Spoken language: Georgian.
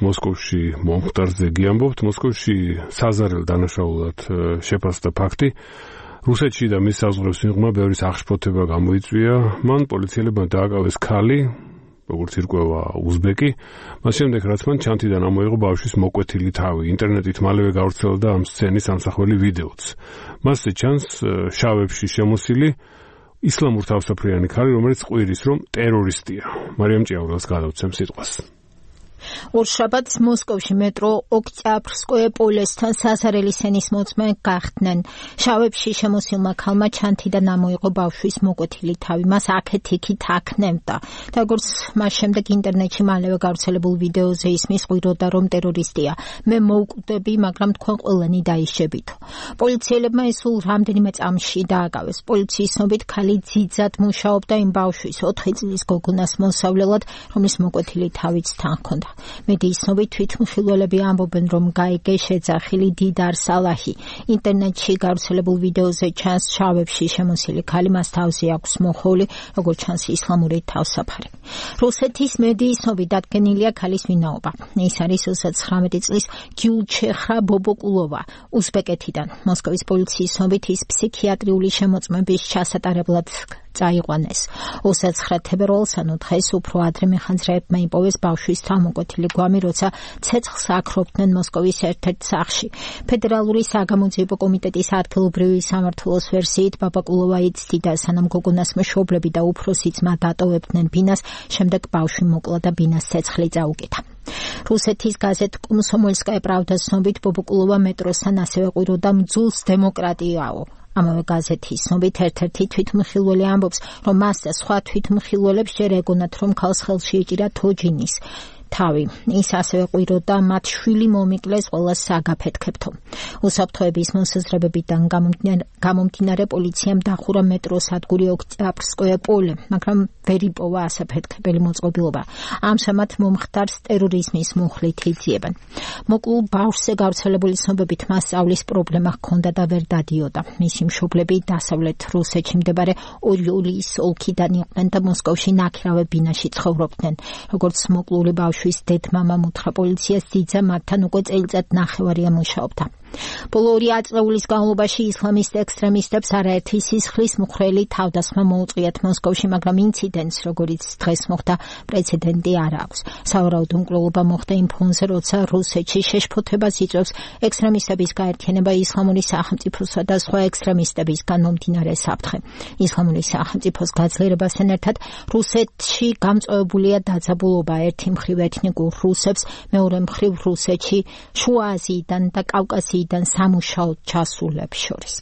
მოსკოვში მომხდარ ზეგი ამბობთ, მოსკოვში საზარელ დანაშაულად შეფასდა ფაქტი. რუსეთში და მის საზღვრებს მიღმა ბევრი აღშფოთება გამოიწვია. მან პოლიციელებმა დააკავეს ქალი, როგორც ირკვევა უზბეკი. მას შემდეგ რაც მან ჩანთიდან ამოიღო ბავშვის მოკვეთილი თავი. ინტერნეტით მალევე გავრცელდა ამ სცენის ამსახველი ვიდეოც. მასზე ჩანს შავებში შემოსილი ისლამურ თავსაფრიანი ქალი, რომელიც ყვირის, რომ ტერორისტია. მარიამ ჭიაურელს გადავცემ სიტყვას. ორშაბათს მოსკოვში მეტრო ოქტიაბრსკოე პოლესთან საზარელი სცენის მოწმე გახდნენ. შავებში შემოსილმა ქალმა ჩანთიდან ამოიღო ბავშვის მოკვეთილი თავი. მას აქეთ-იქით აქნევდა. და როგორც მას შემდეგ ინტერნეტში მალევე გავრცელებულ ვიდეოზე ისმის ყვიროდა, რომ ტერორისტია. მე მოვკვდები, მაგრამ თქვენ ყველანი დაიშებითო. პოლიციელებმა ეს სულ რამდენიმე წამში დააკავეს. პოლიციის ცნობით ქალი ძიძად მუშაობდა იმ ბავშვის 4 წლის გოგონას მოსავლელად, რომლის მოკვეთილი თავიც თან ჰქონდა. მედიის ცნობით თვითმხილველები ამბობენ, რომ გაიგე შეძახილი დიდარ სალაჰი. ინტერნეტში გავრცელებულ ვიდეოზე ჩანს შავებში შემოსილი ქალი, მას თავზე აქვს მოხეული, როგორც ჩანს ისლამური თავსაფარი. რუსეთის მედიის ცნობით დადგენილია ქალის ვინაობა. ის არის 29 წლის გიულჩეხრა ბობოკულოვა, უზბეკეთიდან. მოსკოვის პოლიციის ცნობით ის ფსიქიატრიული შემოწმების ჩასატარებლად წაიყვანეს. 29 თებერვალს, ანუ დღეს უფრო ადრე მეხანძრეებმა იპოვეს ბავშვის თავმოკვეთილი გვამი, როცა ცეცხლს აქრობდნენ მოსკოვის ერთ-ერთ სახლში. ფედერალური საგამოძიებო კომიტეტის ადგილობრივი სამმართველოს ვერსიით, ბაბაკულოვა იცდიდა, სანამ გოგონას მშობლები და უფროსი ძმა დატოვებდნენ ბინას, შემდეგ ბავშვი მოკლა და ბინას ცეცხლი წაუკეთა. რუსეთის გაზეთ კომსომოლსკაია პრავდას ცნობით, ბობოკულოვა მეტროსთან ასევე ყვიროდა მძულს დემოკრატიაო. ამავე გაზეთის ცნობით ერთ-ერთი თვითმხილველი ამბობს, რომ მას და სხვა თვითმხილველებს ჯერ ეგონათ, რომ ქალს ხელში ეჭირა თოჯინის თავი. ის ასევე ყვიროდა მათ შვილი მომიკლეს ყველას საგაფეთქებთო. უსაფრთხოების მოსაზრებებიდან გამომდინარე პოლიციამ დახურა მეტროს სადგური ოქტიაბრსკოე პოლე, მაგრამ ვერ იპოვა ასაფეთქებელი მოწყობილობა. ამჟამად მომხდარს ტერორიზმის მუხლით იძიებენ. მოკლულ ბავშვზე გავრცელებული ცნობებით მას სწავლის პრობლემა ჰქონდა და ვერ დადიოდა. მისი მშობლები დასავლეთ რუსეთში მდებარე ორიოლის ოლქიდან იყვნენ და მოსკოვში ნაქირავე ბინაში ცხოვრობდნენ. როგორც მოკლული ბავშვის დედმამამ უთხრა პოლიციას, ძიძა მათთან უკვე წელიწად ნახევარია მუშაობდა. ბოლო 2 ათწლეულის განმავლობაში ისლამისტ ექსტრემისტებს არაერთი სისხლის მუხრელი თავდასხმა მოუწიათ მოსკოვში, მაგრამ ინციდენტს, როგორც დღეს მოხდა, პრეცედენტი არ აქვს. სავარაუდო მკვლელობა მოხდა იმ ფონზე, როცა რუსეთში შეშფოთებას იწვევს ექსტრემისტების გაერთიანება ისლამური სახელმწიფოსა და სხვა ექსტრემისტებისგან მომდინარე საფრთხე. ისლამური სახელმწიფოს გაძლიერებასთან ერთად რუსეთში გამწვავებულია დაძაბულობა ერთი მხრივ ეთნიკურ რუსებს, მეორე მხრივ რუსეთში შუა აზიიდან და კავკასიიდან სამუშაოდ ჩასულებს შორის.